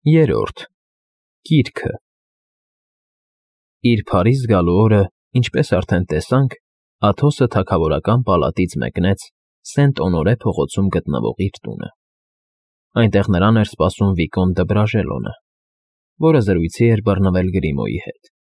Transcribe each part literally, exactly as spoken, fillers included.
Երրորդ Գիրքը Իր Փարիզ գալու օրը, ինչպես արդեն տեսանք, Աթոսը թագավորական պալատից մեկնեց Սենտ֊Օնորե փողոցում գտնվող իր տունը։ Այնտեղ նրան էր սպասում Վիկոն դը Բրաժելոնը, որը զրույցի էր բռնվել Գրիմոյի հետ։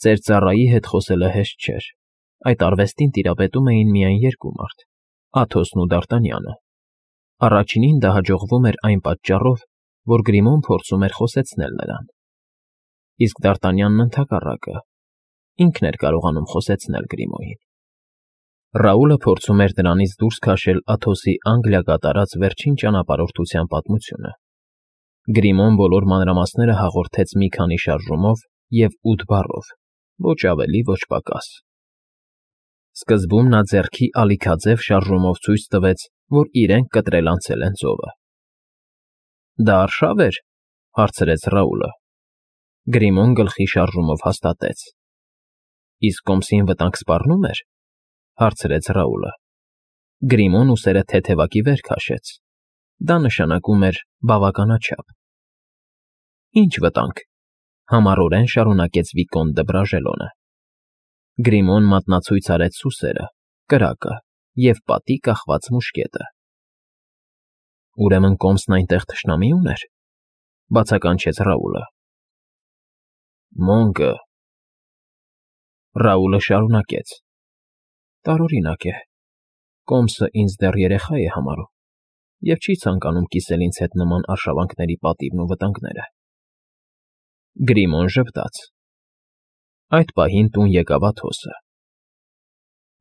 Ծեր ծառայի հետ խոսելը հեշտ չէր, այդ արվեստին տիրապետում էին միայն երկու մարդ՝ Աթոսն ու Դարտանյանը։ Առաջինին դա հաջողվում էր այն պատճառով, որ Գրիմոն փորձում էր խոսեցնել նրան, իսկ Դարտանյանն ընդհակառակը, ինքն էր կարողանում խոսեցնել Գրիմոյին։ Ռաուլը փորձում էր դրանից դուրս քաշել Աթոսի Անգլիա կատարած վերջին ճանապարհորդության պատմությունը։ Գրիմոն բոլոր մանրամասները հաղորդեց մի քանի շարժումով և ութ բառով, ոչ ավելի, ոչ պակաս։ Սկզբում նա ձեռքի ալիքաձև շարժումով ցույց տվեց, որ իրենք կտրել անցել են ծովը։ Դա արշա՞վ էր,֊ հարցրեց Ռաուլը։ Գրիմոն գլխի շարժումով հաստատեց։ Իսկ կոմսին վտանգ սպառնո՞ւմ էր,֊ հարցրեց Ռաուլը։ Գրիմոն ուսերը թեթևակի վեր քաշեց։ Դա նշանակում էր բավականաչափ։ Ինչ վտանգ,֊ համառորեն շարունակեց Վիկոն դը Բրաժելոնը։ Գրիմոն մատնացույց արեց սուսերը, կրակը և պատի կախված մուշկետը։ Ուրեմն կոմսն այնտեղ թշնամի ուներ,֊ բացականչեց Ռաուլը։ Մոնգը… Ռաուլը շարունակեց. Տարօրինակ է, կոմսը ինձ դեռ երեխա է համարում և չի ցանկանում կիսել ինձ հետ նման արշավանքների պատիվն ու վտանգները։ Գրիմոն ժպտաց։ Այդ պահին տուն եկավ Աթոսը։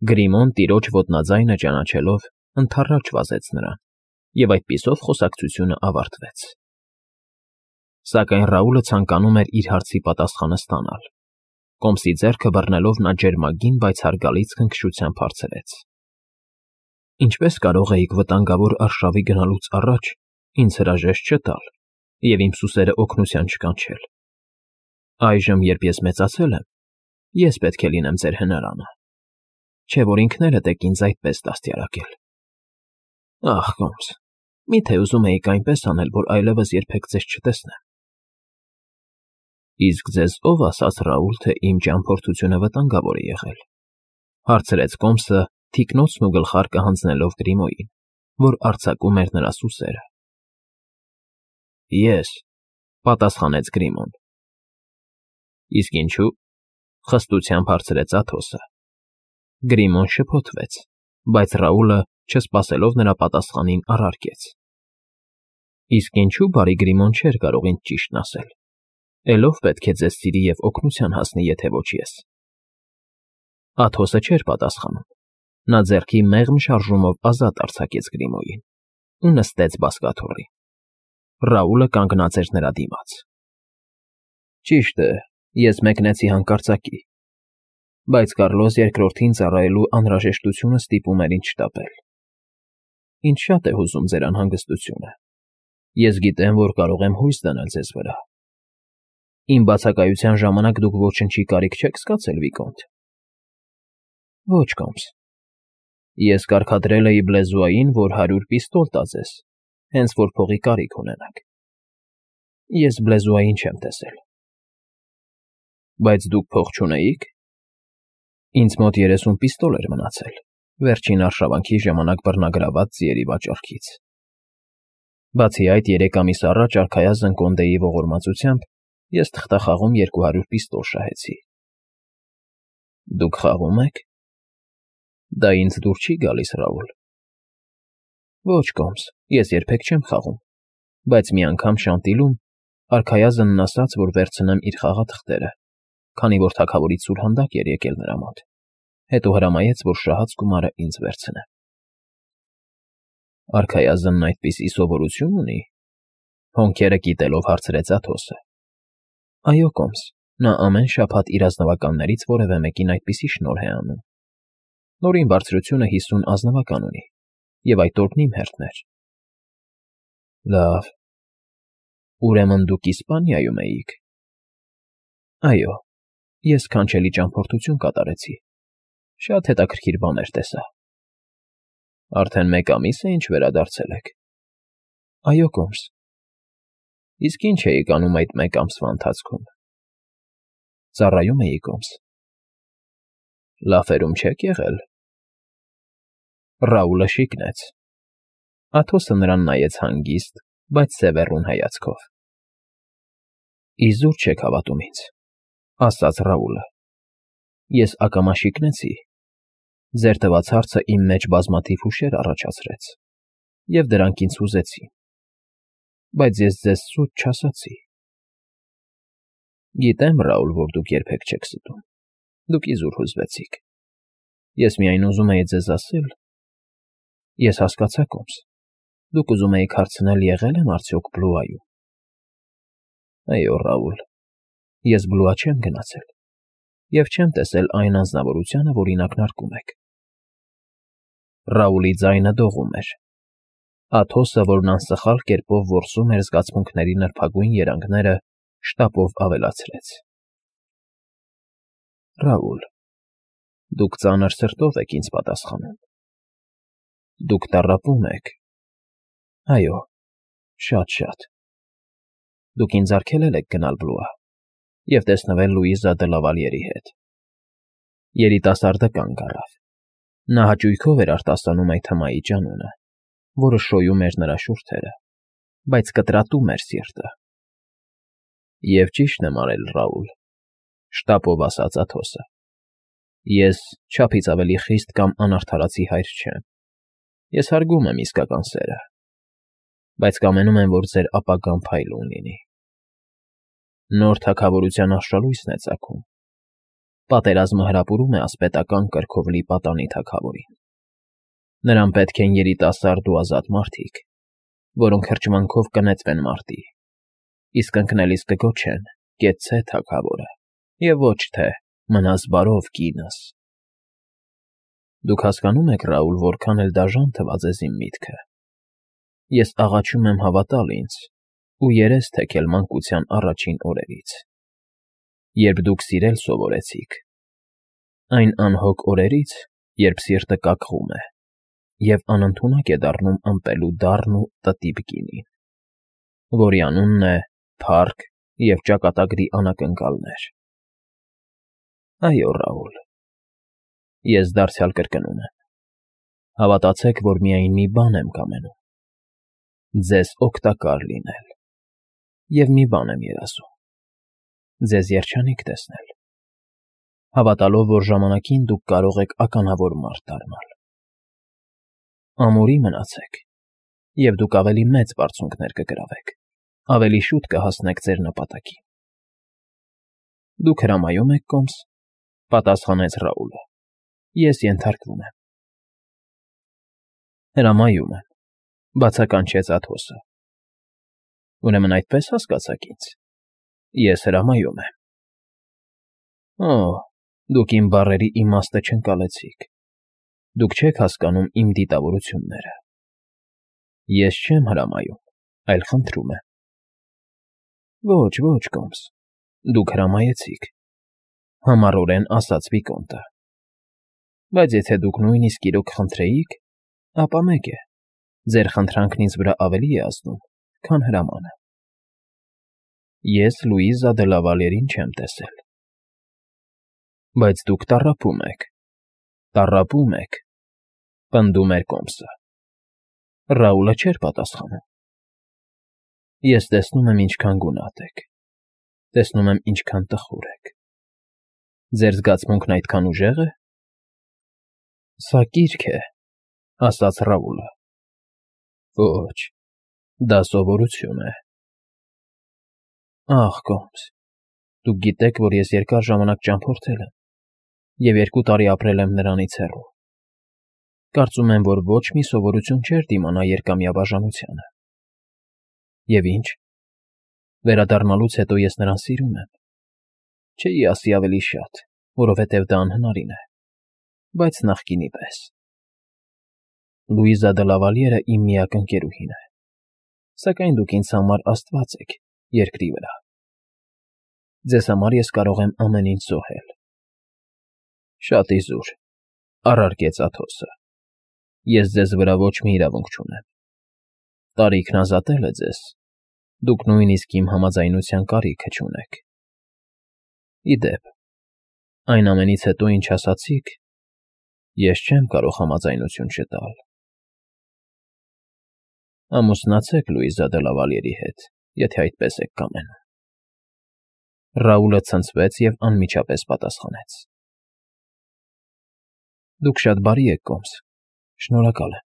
Գրիմոն տիրոջ ոտնաձայնը ճանաչելով ընդառաջ վազեց նրան, և այդպիսով խոսակցությունը ավարտվեց։ Սակայն Ռաուլը ցանկանում էր իր հարցի պատասխանը ստանալ։ Կոմսի ձեռքը բռնելով նա ջերմագին, բայց հարգալից քնքշությամբ հարցրեց. Ինչպե՞ս կարող էիք վտանգավոր արշավի գնալուց առաջ ինձ հրաժեշտ չտալ և իմ սուսերը օգնության չկանչել։ Այժմ, երբ ես մեծացել եմ, ես պետք է լինեմ ձեր հնարանը, չէ՞ որ ինքներդ եք ինձ այդպես դաստիարակել։ Ախ, կոմս, մի՞թե ուզում էիք այնպես անել, որ այլևս երբեք ձեզ չտեսնեմ։ Իսկ ձեզ ո՞վ ասաց, Ռաուլ, թե իմ ճամփորդությունը վտանգավոր է եղել,֊ հարցրեց կոմսը, թիկնոցն ու գլխարկը հանձնելով Գրիմոյին, որ արձակում էր նրա սուսերը։ Ես,֊ պատասխանեց Գրիմոն։ Իսկ ինչու,֊ խստությամբ հարցրեց Աթոսը։ Գրիմոն շփոթվեց, բայց Ռաուլը, չսպասելով նրա պատասխանին, առարկեց. Իսկ ինչու բարի Գրիմոն չէր կարող ինձ ճիշտն ասել, էլով պետք է ձեզ սիրի և օգնության հասնի, եթե ոչ ես։ Աթոսը չէր պատասխանում։ Նա ձեռքի մեղմ շարժումով ազատ արձակեց Գրիմոյին ու նստեց բազկաթոռին։ Ռաուլը կանգնած էր նրա դիմաց։ Ճիշտ է, ես մեկնեցի հանկարծակի, բայց Կարլոս երկրորդին ծառայելու անհրաժեշտությունը ստիպում էր ինձ շտապել։ Ինձ շատ է հուզում ձեր անհանգստությունը։ Ես գիտեմ, որ կարող եմ հույս դնել ձեզ վրա։ Իմ բացակայության ժամանակ դուք ոչնչի կարիք չեք զգացել, Վիկոնտ։ Ոչ, կոմս։ Ես կարգադրել էի Բլեզուային, որ հարյուր պիստոլ տա ձեզ, հենց որ փողի կարիք ունենաք։ Ես Բլեզուային չեմ տեսել։ Բայց դուք փող չունեիք։ Ինձ մոտ երեսուն պիստոլ էր մնացել, վերջին արշավանքի ժամանակ բռնագրաված ձիերի վաճառքից։ Բացի այդ, երեք ամիս առաջ արքայազն կոնդեի ողորմածությամբ ես թղթախաղում երկու հարյուր պիստոլ շահեցի։ Դուք խաղում եք։ Դա ինձ դուր չի գալիս, Ռաուլ։ Ոչ, կոմս, ես երբեք չեմ խաղում, բայց մի անգամ Շանտիլում արքայազնն ասաց, որ վերցնեմ իր խաղաթղթերը, քանի որ թագավորից սուրհանդակ էր եկել նրա մոտ, հետո հրամայեց, որ շահած գումարը ինձ վերցնեմ։ Արքայազնն այդպիսի սովորություն ունի,֊ հոնքերը կիտելով հարցրեց Աթոսը։ Այո, կոմս, նա ամեն շաբաթ իր ազնվականներից որևէ մեկին այդպիսի շնորհ է անում։ Նորին բարձրությունը հիսուն ազնվական ունի, և այդ օրն իմ հերթն էր։ Լավ։ Ուրեմն դուք Իսպանիայում էիք։ Այո, ես սքանչելի ճամփորդություն կատարեցի։ Շատ հետաքրքիր բաներ տեսա։ Արդեն մեկ ամի՞ս է, ինչ վերադարձել եք։ Այո, կոմս։ Իսկ ինչ էիք անում այդ մեկ ամսվա ընթացքում։ Ծառայում էի կոմս։ Լաֆերում չեք եղել։ Ռաուլը շիկնեց։ Աթոսը նրան նայեց հանգիստ, բայց սևեռուն հայացքով։ Իզուր չեք հավատում ինձ, ասաց Ռաուլը։ Ես ակամա շիկնեցի։ Ձեր տված հարցը իմ մեջ բազմաթիվ հուշեր առաջացրեց, և դրանք ինձ հուզեցին։ Բայց ես ձեզ սուտ չասացի։ Գիտեմ, Ռաուլ, որ դուք երբեք չեք ստում։ Դուք իզուր հուզվեցիք։ Ես միայն ուզում էի ձեզ ասել… Ես հասկացա, կոմս, դուք ուզում էիք հարցնել՝ եղե՞լ եմ արդյոք Բլուայում։ Այո, Ռաուլ, ես Բլուա չեմ գնացել և չեմ տեսել այն անձնավորությանը, որին ակնարկում եք։ Ռաուլի ձայնը դողում էր։ Աթոսը, որն անսխալ կերպով որսում էր զգացմունքների նրբագույն երանգները, շտապով ավելացրեց. Ռաուլ, դուք ծանր սրտով եք ինձ պատասխանում։ Դուք տառապում եք։ Այո, շատ֊շատ։ Դուք ինձ արգելել եք գնալ Բլուա և տեսնվել Լուիզա դը Լավալյերի հետ։ Երիտասարդը կանգ առավ։ Նա հաճույքով էր արտասանում այդ հմայիչ անունը, որը շոյում էր նրա շուրթերը, բայց կտրատում էր սիրտը։ Եվ ճիշտն եմ արել, Ռաուլ, շտապով ասաց Աթոսը։ Ես չափից ավելի խիստ կամ անարդարացի հայր չեմ։ Ես հարգում եմ իսկական սերը, բայց կամենում եմ, որ ձեր ապագան փայլուն լինի։ Նոր թագավորության աշխալույսն է ծագում։ Պատերազմը հրապուրում է ասպետական կրքով լի պատանի թագավորին։ Նրան պետք են երիտասարդ ու ազատ մարդիկ, որոնք հրճվանքով կնետվեն մարտի, իսկ ընկնելիս կգոչեն. «Կեցցե թագավորը» և ոչ թե «Մնաս բարով, կինս»։ Դուք հասկանո՞ւմ եք, Ռաուլ, որքան էլ դաժան թվա ձեզ իմ միտքը։ Ես աղաչում եմ հավատալ ինձ ու երես թեքել մանկության առաջին օրերից, երբ դուք սիրել սովորեցիք, այն անհոգ օրերից, երբ սիրտը կակղում է և անընդունակ է դառնում ըմպելու դառն ու տտիպ գինին, որի անունն է փառք և ճակատագրի անակնկալներ։ Այո, Ռաուլ, ես դարձյալ կրկնում եմ, հավատացեք, որ միայն մի բան եմ կամենում. ձեզ օգտակար լինել, և մի բան եմ երազում. ձեզ երջանիկ տեսնել, հավատալով, որ ժամանակին դուք կարող եք ականավոր մարդ դառնալ։ Ամուրի մնացեք, և դուք ավելի մեծ բարձունքներ կգրավեք, ավելի շուտ կհասնեք ձեր նպատակին։ Դուք հրամայում եք, կոմս, պատասխանեց Ռաուլը։ Ես ենթարկվում եմ։ Հրամայում եմ, բացականչեց Աթոսը։ Ուրեմն այդպես հասկացաք ինձ։ Ես հրամայում եմ։ Օ, դուք իմ բառերի իմաստը չընկալեցիք։ Դուք չեք հասկանում իմ դիտավորությունները։ Ես չեմ հրամայում, այլ խնդրում եմ։ Ոչ, ոչ, կոմս, դուք հրամայեցիք, համառորեն ասաց վիկոնտը։ Բայց եթե դուք նույնիսկ իրոք խնդրեիք, ապա մեկ է, ձեր խնդրանքն ինձ վրա ավելի է ազդում, քան հրամանը։ Ես Լուիզա դը Լավալյերին չեմ տեսել։ Բայց դուք տառապում եք, տառապում եք, պնդում էր կոմսը։ Ռաուլը չէր պատասխանում։ Ես տեսնում եմ ինչքան գունատ եք, տեսնում եմ ինչքան տխուր եք։ Ձեր զգացմունքն այդքան ուժեղ է։ Սա կիրք է, ասաց Ռաուլը։ Ոչ, դա սովորություն է։ Ախ, կոմս, դուք գիտեք, որ ես երկար ժամանակ ճամփորդել եմ և երկու տարի ապրել եմ նրանից հեռու։ Կարծում եմ, որ ոչ մի սովորություն չէր դիմանա երկամյա բաժանությանը։ Եվ ինչ, վերադառնալուց հետո ես նրան սիրում եմ։ Չէի ասի ավելի շատ, որովհետև դա անհնարին է, բայց նախկինի պես։ Լուիզա դը Լավալյերը իմ միակ ընկերուհին է, սակայն դուք ինձ համար աստված եք երկրի վրա։ Ձեզ համար ես կարող եմ ամեն ինչ զոհել։ Շատ իզուր, առարկեց Աթոսը։ Ես ձեզ վրա ոչ մի իրավունք չունեմ։ Տարիքն ազատել է ձեզ, Դուք նույնիսկ իմ համաձայնության կարիքը չունեք։ Ի դեպ, այն ամենից հետո, ինչ ասացիք, ես չեմ կարող համաձայնություն չտալ։ Ամուսնացեք Լուիզա դե Լավալյերի հետ, եթե այդպես եք կամենում։ Ռաուլը ցնցվեց և անմիջապես պատասխանեց. Դուք շատ բարի եք, Կոմս, շնորհակալ եմ,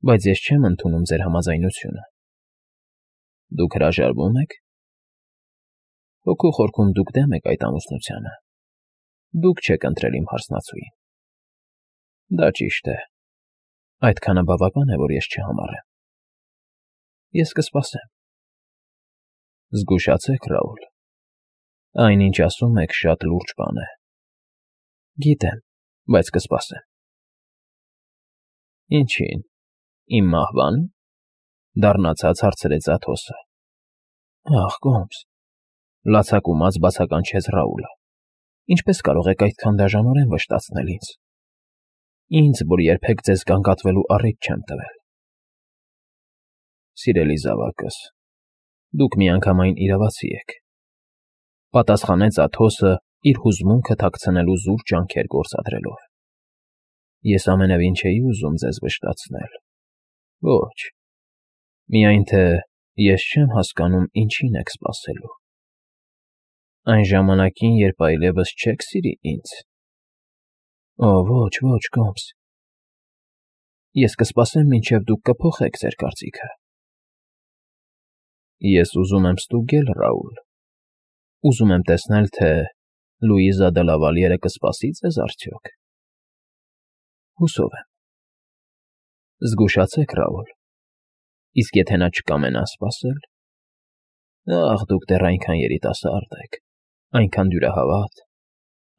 բայց ես չեմ ընդունում ձեր համաձայնությունը։ Դուք հրաժարվո՞ւմ եք։ Հոգու խորքում դուք դեմ եք այդ ամուսնությանը։ Դուք չեք ընտրել իմ հարսնացուին։ Դա ճիշտ է։ Այդքանը բավական է, որ ես չհամառեմ։ Ես կսպասեմ։ Զգուշացեք, Ռաուլ։ Այն, ինչ ասում եք, շատ լուրջ բան է։ Գիտեմ, բայց կսպասեմ։ Ինչի՞ն, իմ մահվա՞ն, դառնացած հարցրեց Աթոսը։ Ախ, Կոմս, լացակումած բացականչեց Ռաուլը։ Ինչպես կարող եք այդքան դաժանորեն վշտացնել ինձ։ Ինձ, որ երբեք ձեզ գանգատվելու առիթ չեմ տվել։ Սիրելի զավակս, դուք միանգամայն իրավացի եք, պատասխանեց Աթոսը իր հուզմունքը թաքցնելու զուր ջանքեր գործադրելով։ Ես ամենևին չէի ուզում ձեզ վշտացնել։ Ոչ, միայն թե ես չեմ հասկանում ինչին եք սպասելու։ Այն ժամանակին, երբ այլևս չեք սիրի ինձ։ Օ, ոչ, ոչ, Կոմս։ Ես կսպասեմ, մինչև դուք կփոխեք ձեր կարծիքը։ Ես ուզում եմ ստուգել, Ռաուլ։ Ուզում եմ տեսնել, թե Լուիզա դե Լավալյերը կսպասի ձեզ արդյոք։ Հուսով եմ։ Զգուշացեք, Ռաուլ։ Իսկ եթե նա չկամենա սպասել։ Ախ, դուք դեռ այնքան երիտասարդ եք, այնքան դյուրահավատ,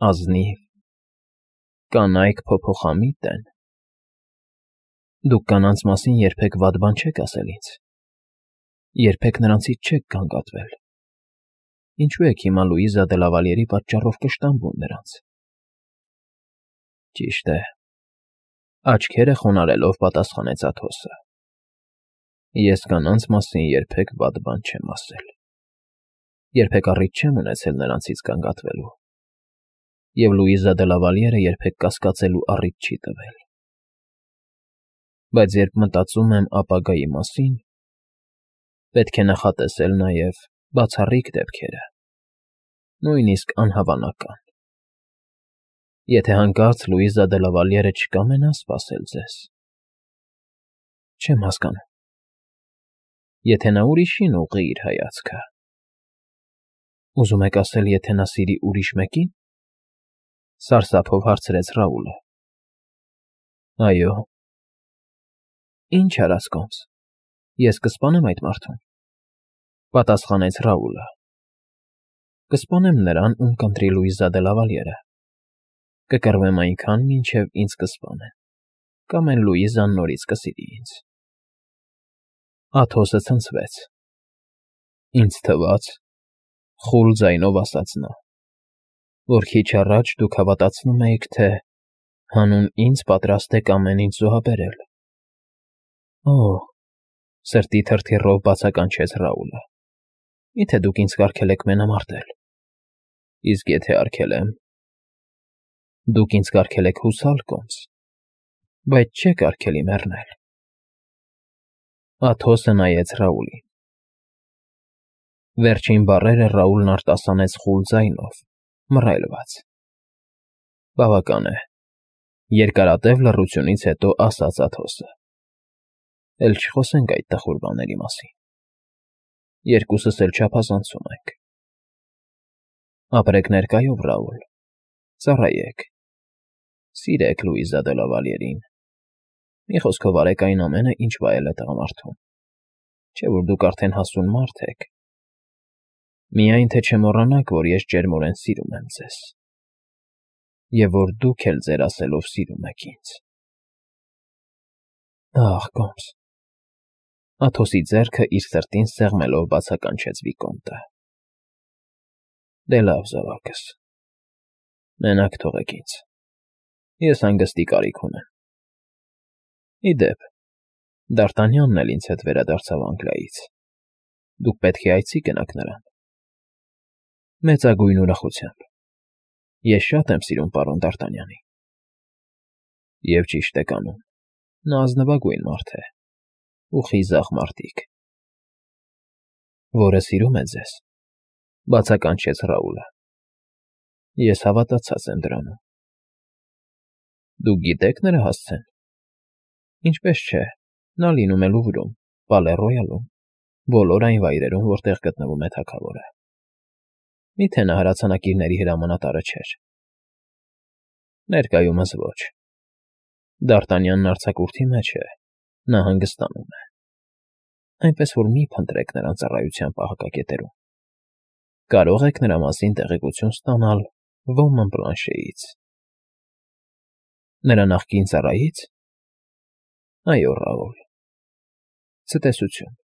ազնիվ, կանայք փոփոխամիտ են։ Դուք կանանց մասին երբեք վատ բան չեք ասել ինձ։ Երբեք նրանցից չեք գանգատվել։ Ինչու եք հիմա Լուիզա դե Լավալյերի պատճառով կշտամբում նրանց։ Ճիշտ է։ Աչքերը խոնարհելով պատասխանեց Աթոսը։ Ես կանանց մասին երբեք վատ բան չեմ ասել։ Երբեք առիթ չեմ ունեցել նրանցից գանգատվելու։ Եվ Լուիզա դե Լավալյերը երբեք կասկածելու առիթ չի տվել։ Բայց երբ մտածում եմ ապագայի մասին, պետք է նախատեսել նաև բացառիկ դեպքերը, նույնիսկ անհավանական։ Եթե հանկարծ Լուիզա դե Լավալյերը չկամենա սպասել ձեզ։ Չեմ հասկանում։ Եթե նա ուրիշին ուղղի իր հայացքը։ Ուզում եք ասել, եթե նա սիրի ուրիշ մեկին։ Սարսափով հարցրեց Ռաուլը։ Այո։ Ինչ արած, Կոմս, ես կսպանեմ այդ մարդուն, պատասխանեց Ռաուլը։ Կսպանեմ նրան, ում կընտրի Լուիզա դե Լավալյերը։ Կկռվեմ այնքան, մինչև ինձ կսպանեն, կամ էլ Լուիզան նորից կսիրի ինձ։ Աթոսը ցնցվեց։ Ինձ թվաց, խուլ ձայնով ասաց նա, որ քիչ առաջ դուք հավատացնում էիք, թե հանուն ինձ պատրաստ եք ամեն ինչ զոհաբերել։ Օ, սրտի թրթիռով բացականչեց Ռաուլը։ Միթե դուք ինձ կարգել եք մենամարտել։ Իսկ եթե արգելեմ։ Դուք ինձ կարգել եք հուսալ, Կոմս, բայց չեք արգելի մեռնել։ Աթոսը նայեց Ռաուլին։ Վերջին բառերը Ռաուլն արտասանեց խուլ ձայնով, մռայլված։ Բավական է, երկարատև լռությունից հետո ասաց Աթոսը։ Էլ չխոսենք այդ տխուր բաների մասին։ Երկուսս էլ չափազանցում ենք։ Ապրեք ներկայով, Ռաուլ, ծառայեք, սիրեք Լուիզա դե Լավալյերին։ Մի խոսքով արեք այն ամենը, ինչ վայել է տղամարդուն, չէ՞ որ դուք արդեն հասուն մարդ եք։ Միայն թե չմոռանաք, որ ես ջերմորեն սիրում եմ ձեզ, և որ դուք էլ ձեր ասելով սիրում եք ինձ։ Ախ, Կոմս։ Աթոսի ձեռքը իր սրտին սեղմելով բացականչեց Վիկոմտը։ Դե լավ, զավակս։ Մենակ թողեք ինձ։ Ես հանգստի կարիք ունեմ։ Ի դեպ, Դ'Արտանյանն էլ ինձ հետ վերադարձավ Անգլիայից։ Դուք պետք է այցի գնաք նրան։ Մեծագույն ուրախությամբ։ Ես շատ եմ սիրում պարոն Դ'Արտանյանին։ Եվ ճիշտ եք անում, նա ազնվագույն մարդ է, ու խիզախ մարտիկ։ Որը սիրում է ձեզ,֊ բացականչեց Ռաուլը։ Ես հավատացած եմ դրանում։ Դուք գիտե՞ք նրա հասցեն։ Ինչպես չէ, նա լինում է Լուվրում, Պալե Ռոյալում, բոլոր այն վայրերում, որտեղ գտնվում է թագավորը։ Մի՞թե նա հրացանակիրների հրամանատարը չէր։ Ներկայումս ոչ։ Դ'Արտանյանն արձակուրդի մեջ է, նա հանգստանում է։ Այնպես որ մի՛ փնտրեք նրան ծառայության պահակակետերում։ Կարող եք նրա մասին տեղեկություն ստանալ ոմն Բլանշեից։ Նրա նախկին ծառայի՞ց։ Այո, Ռաուլ։ Ցտեսություն։